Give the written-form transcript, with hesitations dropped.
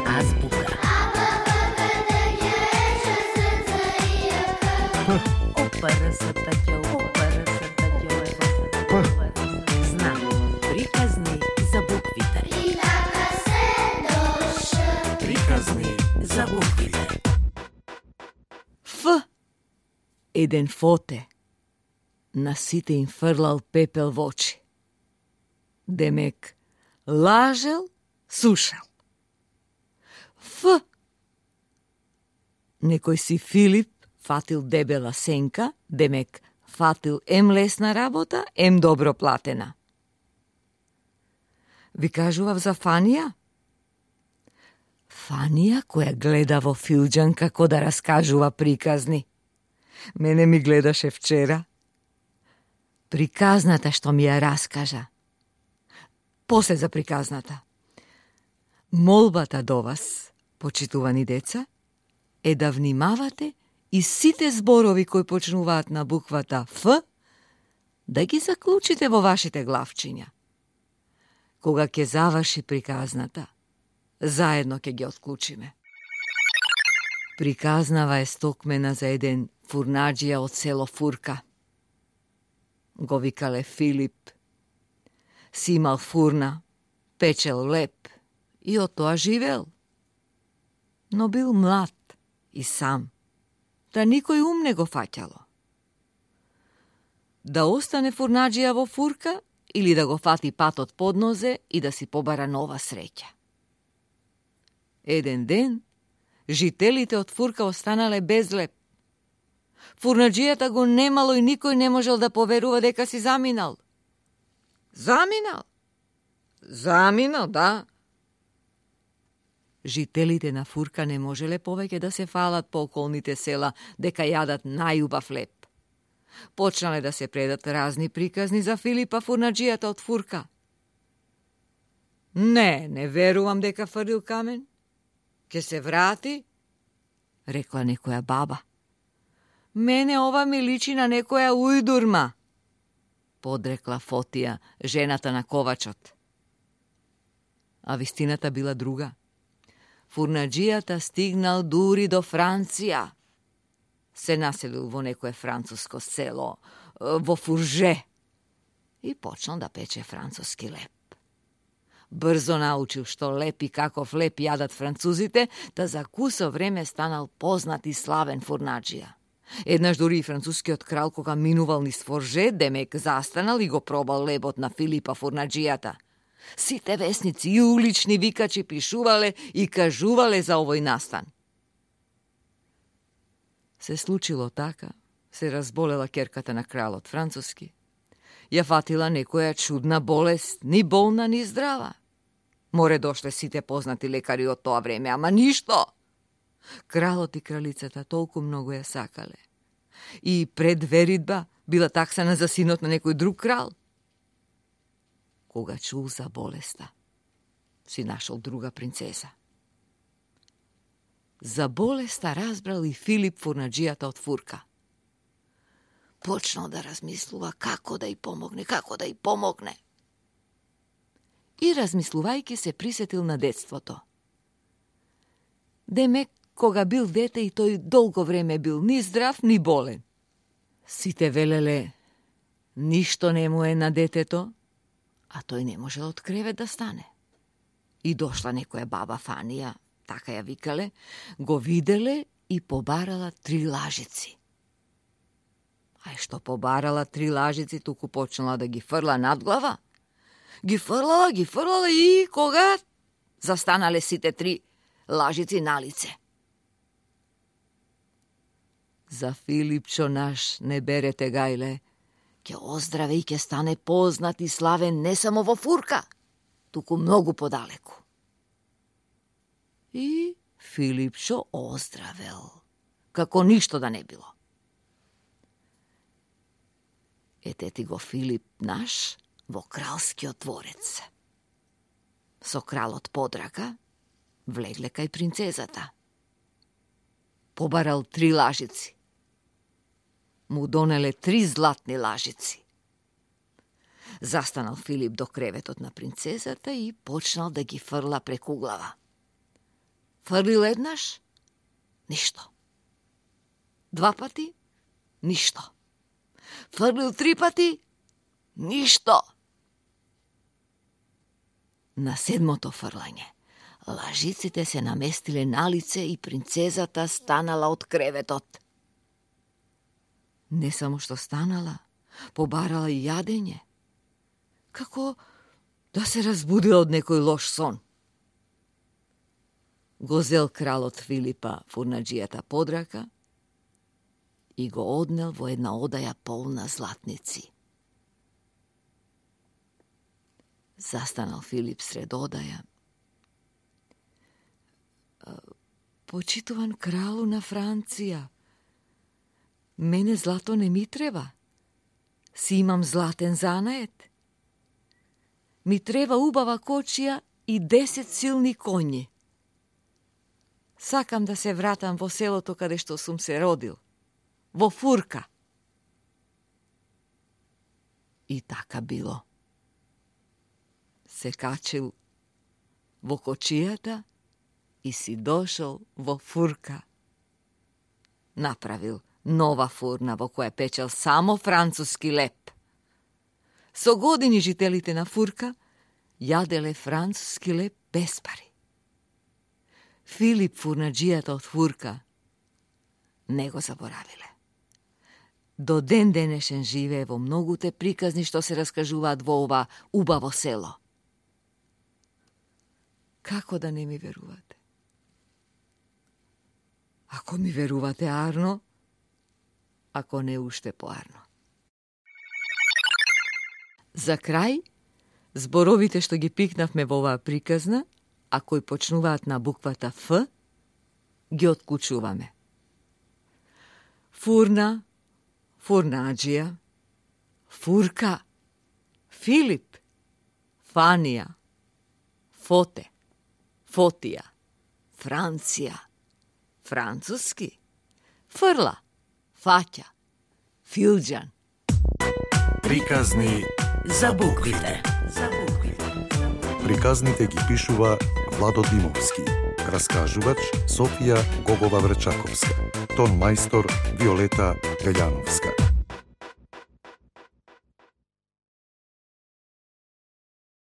Азбука. Знак. Приказни за буквите. Приказни за буквите. Ф. Еден фоте. На сите им фрлал пепел во очи. Демек, лажел, сушал. Ф. Некој си Филип фатил дебела сенка, демек, фатил ем лесна работа, ем добро платена. Ви кажував за Фанија? Фанија која гледа во филџан како да раскажува приказни. Мене ми гледаше вчера. Приказната што ми ја раскажа. После за приказната. Молбата до вас, почитувани деца, е да внимавате и сите зборови кои почнуваат на буквата Ф, да ги заклучите во вашите главчиња. Кога ќе заврши приказната, заедно ќе ги отклучиме. Приказнава е стокмена за еден фурнаџија од село Фурка. Го викале Филип. Си имал фурна, печел леп и од тоа живел. Но бил млад и сам, да никој ум не го фаќало. Да остане фурнаџија во Фурка или да го фати патот под нозе и да си побара нова среќа. Еден ден, жителите од Фурка останале без леп. Фурнаџијата го немало и никој не можел да поверува дека си заминал. Заминал? Заминал, да. Жителите на Фурка не можеле повеќе да се фалат по околните села дека јадат најубав леп. Почнале да се предат разни приказни за Филипа фурнаџијата од Фурка. Не верувам дека фрлил камен. Ке се врати, рекла некоја баба. Мене ова ми личи на некоја ујдурма, подрекла Фотија, жената на ковачот. А вистината била друга. Фурнаџијата стигнал дури до Франција. Се населил во некое француско село, во Фурже, и почнал да пече француски леп. Брзо научил што леп и каков леп јадат французите, та за кусо време станал познат и славен фурнаџија. Еднаш дури и францускиот крал кога минувал низ Фурже, демек застанал и го пробал лебот на Филипа фурнаџијата. Сите весници и улични викачи пишувале и кажувале за овој настан. Се случило така, се разболела ќерката на кралот француски. Ја фатила некоја чудна болест, ни болна, ни здрава. Море дошле сите познати лекари од тоа време, ама ништо. Кралот и кралицата толку многу ја сакале. И пред веридба била таксана за синот на некој друг крал. Кога чул за болеста, си нашол друга принцеса. За болеста разбрал и Филип фурнаџијата од Фурка. Почнал да размислува како да й помогне. И размислувајќи се присетил на детството. Демек, кога бил дете и тој долго време бил ни здрав, ни болен. Сите велеле, ништо не му е на детето, а тој не можел од кревет да стане. И дошла некоја баба Фанија, така ја викале, го виделе и побарала 3 лажици. Ај што побарала 3 лажици, туку почнала да ги фрла над глава. Ги фрлала и кога застанале сите 3 лажици на лице. За Филипчо наш не берете гајле, ќе оздраве и ќе стане познат и славен не само во Фурка, туку многу подалеку. И Филипчо оздравел, како ништо да не било. Ете ти го Филип наш во кралскиот дворец. Со кралот подрака влегле кај принцезата. Побарал 3 лажици. Му донеле 3 златни лажици. Застанал Филип до креветот на принцезата и почнал да ги фрла преку глава. Фрлил еднаш, ништо. 2 пати, ништо. Фрлил 3 пати, ништо. На 7-то фрлање, лажиците се наместиле на лице и принцезата станала од креветот. Не само што станала, побарала и јадење, како да се разбудила од некој лош сон. Го зел кралот Филипа фурнаџијата под рака и го однел во една одаја полна златници. Застанал Филип сред одаја. Почитуван кралу на Франција, мене злато не ми треба. Си имам златен занает. Ми треба убава кочија и 10 силни коњи. Сакам да се вратам во селото каде што сум се родил, во Фурка. И така било. Се качил во кочијата и си дошол во Фурка. Направил нова фурна во која печел само француски леп. Со години жителите на Фурка јаделе француски леп без пари. Филип фурнаџијата од Фурка не го заборавиле. До ден денешен живее во многуте приказни што се раскажуваат во ова убаво село. Како да не ми верувате? Ако ми верувате арно, ако не уште поарно. За крај, зборовите што ги пикнавме во оваа приказна, а кои почнуваат на буквата Ф, ги откучуваме. Фурна, фурнаџија, Фурка, Филип, Фанија, Фоте, Фотија, Франција, француски, фрла, фаќа, филџан. Приказни за буквите. Приказните ги пишува Владо Димовски. Раскажувач Софија Гогова Врчаковска. Тон мајстор Виолета Гаљановска.